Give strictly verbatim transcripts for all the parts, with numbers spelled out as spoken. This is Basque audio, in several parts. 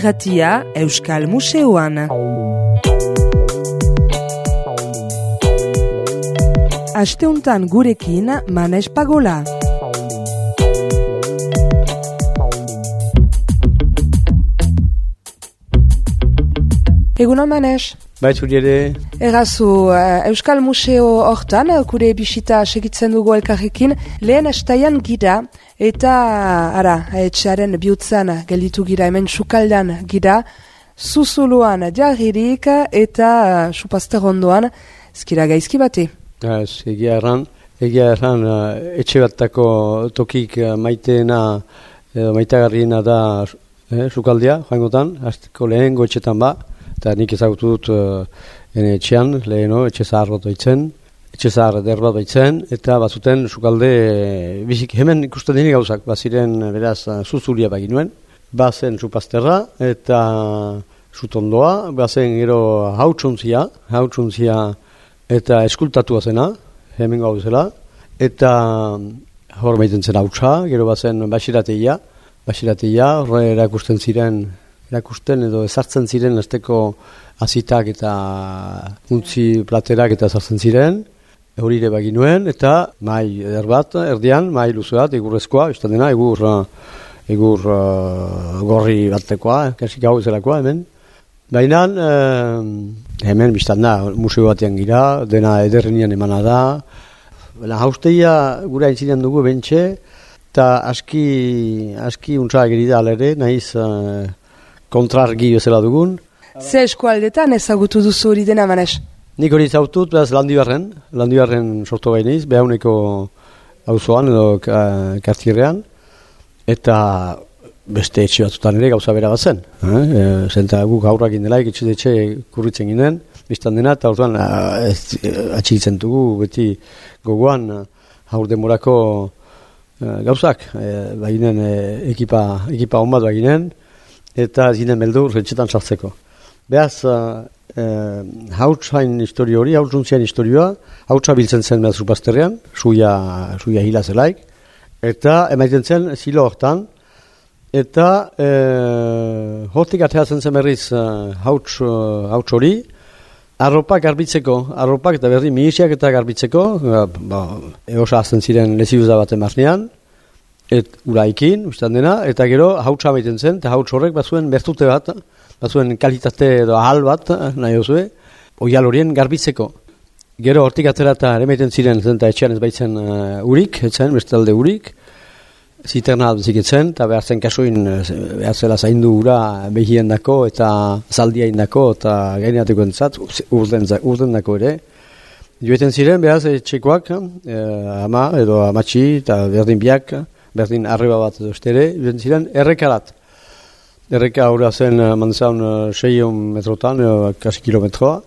irratia Euskal Museoan. Asteuntan gurekin Manes Pagola. Egunon Manes. Baitzuri ere. Errazu, uh, Euskal Museo hortan, kure bisita segitzen dugu elkarrekin, lehen estaian gira, eta, ara, etxearen bihutzan gelditu gira, hemen sukaldan gira, zuzuluan jarririk, eta uh, supazter ondoan, ezkira gaizki bati. Ez, egia erran, egia erran, uh, etxe batako tokik uh, maiteena, uh, maitagarriena da uh, sukaldia, joangotan, azteko lehen goetxetan ba, eta nik ezagutu dut uh, ene etxean, leheno, etxe zahar bat baitzen, etxe zahar der bat baitzen, eta bazuten sukalde, e, bizik hemen ikusten dini gauzak, baziren beraz zuzulia baginuen, bazen supazterra, eta sutondoa, bazen gero hautsontzia, hautsontzia eta eskultatua zena, hemen gauzela, eta hor maiten zen hautsa, gero bazen basirateia, basirateia, horre erakusten ziren, erakusten edo ezartzen ziren azteko azitak eta untzi platerak eta ezartzen ziren, horire baginuen, eta mai eder bat, erdian, mai luze bat, egurrezkoa, izan dena, egur, egur uh, gorri batekoa, kasik hau ezelakoa hemen. Baina, uh, hemen biztan da, museo batean gira, dena ederrenian emana da. Baina, hausteia gura intzinean dugu bentxe, eta aski, aski untza gerida alere, nahiz uh, kontrargi bezala dugun. Ze eskualdetan ezagutu duzu hori dena, Manes? Nik hori ezagutut, behaz Landibarren, Landibarren sortu bainiz, behauneko auzoan edo kartierrean, eta beste etxe batzutan ere gauza bera bat zen. Eh? Zenta guk aurrak indelaik etxe etxe kurritzen ginen, biztan dena, eta orduan atxigitzen dugu, beti gogoan haur demorako gauzak, baginen ekipa, ekipa on bat baginen, eta zinen beldur retxetan sartzeko. Behaz, uh, uh, hautsain historio hori, hautsuntzian historioa, hautsa biltzen zen behaz supazterrean, suia, suia hila zelaik, eta emaiten zen zilo hortan, eta uh, hortik ateatzen zen berriz uh, hauts, uh, hauts hori, arropak garbitzeko, arropak eta berri mihisiak eta garbitzeko, uh, ba, eosa azten ziren leziuza baten barnean, et uraikin, ustan dena, eta gero hautsa baiten zen, eta hauts horrek bazuen bertute bat, bazuen kalitate edo ahal bat, nahi osue, oial horien garbitzeko. Gero hortik atera eta ere maiten ziren, zenta etxean ez baitzen uh, urik, etzen, bestalde urik, ziterna albezik etzen, eta behar zen kasuin, behar zela zaindu ura behien dako, eta zaldia indako, eta gaineateko entzat, urden, urden dako ere. Joeten ziren, behar etxekoak, eh, ama edo amatxi, eta berdin biak, berdin arreba bat edo estere, joeten ziren errekarat. Erreka hori zen manzaun seion metrotan, kasi kilometroa,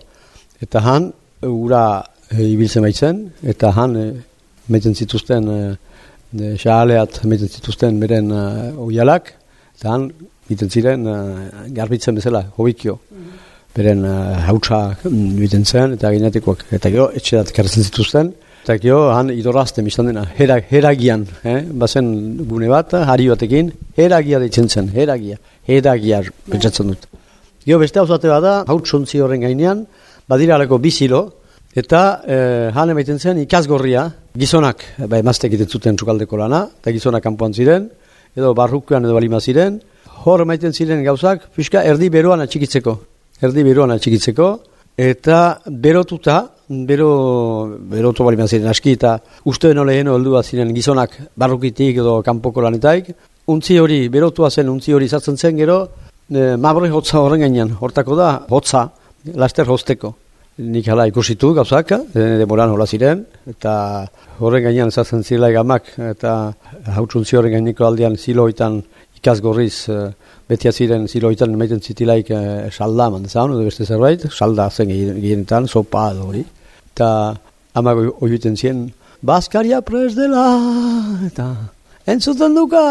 eta han, ura e, ibiltzen baitzen, eta han, e, meiten zituzten, e, xahaleat meiten zituzten beren e, oialak, eta han, biten ziren, e, garbitzen bezala, hobikio. Beren uh, hautsa biten zen, eta gineatikoak, eta gero etxerat kartzen zituzten, eta gero han idorazten biztan dena, herag, heragian, eh? Bazen gune bat, hari batekin, heragia deitzen zen, heragia, heragia pentsatzen dut. Gero beste hauzate bada, hautsontzi horren gainean, badira alako bizilo, eta eh, han emaiten zen ikazgorria, gizonak, ba, emaztek egiten zuten txukaldeko lana, eta gizonak kanpoan ziren, edo barrukuan edo balima ziren, hor emaiten ziren gauzak, pixka erdi beroan atxikitzeko. Erdi beroan atxikitzeko, eta berotuta, bero, berotu bali ziren aski, eta uste beno leheno heldu bat ziren gizonak barrukitik edo kanpoko lanetaik, untzi hori, berotua zen, untzi hori sartzen zen gero, e, mabre hotza horren gainean, hortako da, hotza, laster hosteko. Nik hala ikusitu gauzak, e, demoran hola ziren, eta horren gainean sartzen zirelaik amak, eta hautsuntzi horren gaineko aldean ziloitan ikazgorriz, e, betia ziren ziloitan emaiten zitilaik e, salda mandezaun, edo beste zerbait, salda zen gehienetan, sopa edo hori. Eta amak oiuten ziren, Baskaria prest dela, eta entzuten duka,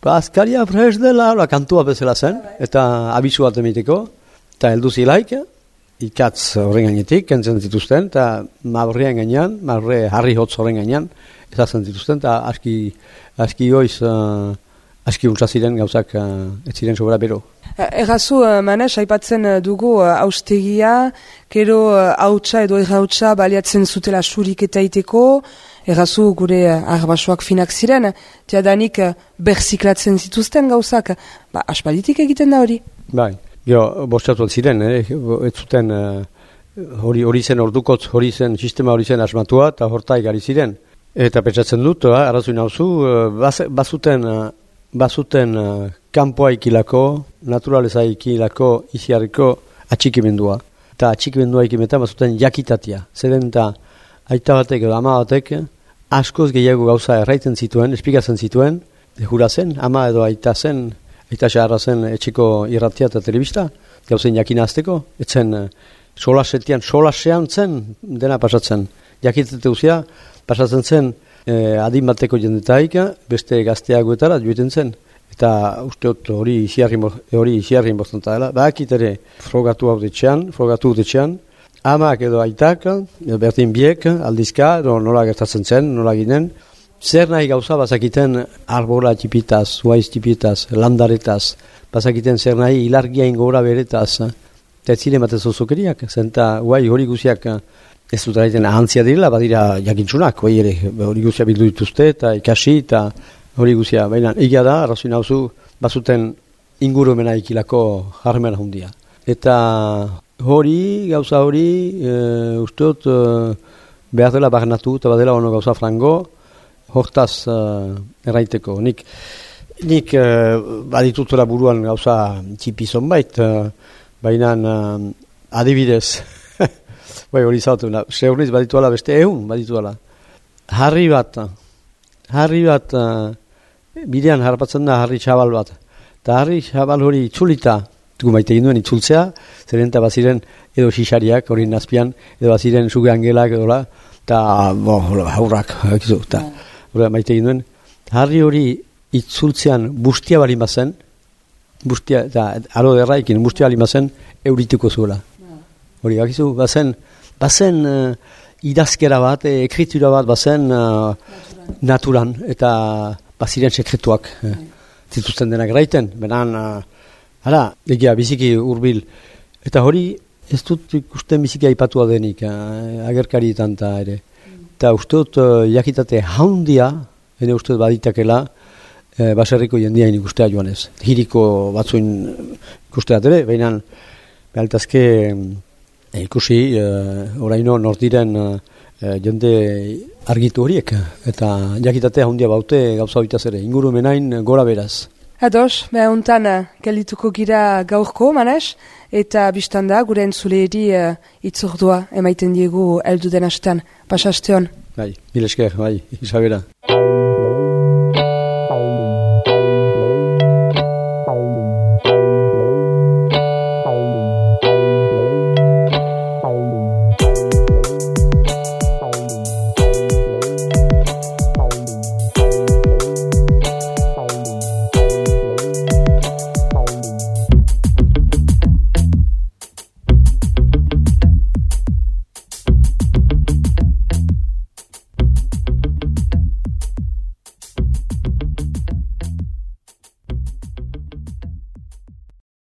Baskaria prest dela, la kantua bezala zen, eta abisu bat emiteko, eta heldu zilaik, ikatz horren gainetik, kentzen zituzten, eta mabrien gainean, mabre harri hotz horren gainean, ezatzen zituzten, eta aski, aski goiz, uh, aski untsa ziren gauzak uh, ez ziren sobera bero. Errazu, Manes, aipatzen dugu haustegia, kero hautsa edo errautsa baliatzen zutela surik eta iteko, errazu gure arbasoak finak ziren, tiadanik berziklatzen zituzten gauzak, ba, aspalditik egiten da hori. Bai, gero, bostatu ziren, eh? ez zuten hori uh, zen ordukotz, hori zen sistema hori zen asmatua, eta hortai gari ziren. Eta pentsatzen dut, uh, arrazui nauzu, uh, bazuten... Uh, bazuten uh, kanpoa ikilako, naturaleza ikilako, iziarriko atxikimendua. Eta atxikimendua ikimetan bazuten jakitatia. Zeren eta aita batek edo ama batek askoz gehiago gauza erraiten zituen, espikatzen zituen, jura zen, ama edo aita zen, aita xaharra zen etxeko irratia eta telebista, gauzen jakina azteko, etzen uh, solasetian, solasean zen dena pasatzen. Jakitete guzia, pasatzen zen Eh, adin bateko jendetaik, beste gazteagoetara joiten zen. Eta usteot hori isiarrin bostanta dela. Bakit ere frogatu hau detxean, frogatu detxean, amak edo aitak, edo bertin biek, aldizka, edo nola gertatzen zen, nola ginen, zer nahi gauza bazakiten arbola tipitaz, huaiz tipitaz, landaretaz, bazakiten zer nahi ilargia ingora beretaz, eta ez ziren batez ozokeriak, zenta huai hori guziak ez dut eraiten ahantzia direla, badira jakintzunak, hori ere, hori guzia bildu dituzte, eta ikasi, eta hori guzia. Baina, egia da, arrazoi nauzu, bazuten ingurumena ikilako jarmena hundia. Eta hori, gauza hori, e, usteot, e, behar dela barnatu, eta badela ono gauza frango, hortaz e, erraiteko. Nik, nik e, baditutzela buruan gauza txipizon bait, e, baina e, adibidez, bai, hori zautu, seurniz badituala beste ehun badituala. Harri bat, harri bat, uh, bidean harpatzen da harri txabal bat. Eta harri txabal hori itzulita, dugu maite ginduen itzultzea, zeren eta baziren edo xixariak hori nazpian, edo baziren suge angelak edo la, eta bo, haurrak, eta hori maite ginduen. Harri hori itzultzean bustia bali mazen, bustia, eta aro derraikin bustia bali mazen, eurituko zuela. Hori, bakizu, bazen, bazen uh, idazkera bat, e, ekritura bat, bazen uh, naturan, eta baziren sekretuak eh, zituzten denak eraiten, benan, uh, hala, egia, biziki urbil, eta hori, ez dut ikusten biziki aipatua denik, uh, agerkarietan eta ere, eta uste dut uh, jakitate haundia, ene uste dut baditakela, uh, baserriko jendiain ikustea joan ez, hiriko batzuin ikustea ere, behinan, behaltazke, E, ikusi, e, oraino nordiren e, jende argitu horiek, eta jakitatea handia baute gauza bitaz ere, ingurumenain gora beraz. Ados, beha untan gelituko gira gaurko, Manes, eta biztanda gure entzuleeri e, itzordua emaiten diegu eldu den hastean, pasasteon. Bai, mil esker, bai, Isabela.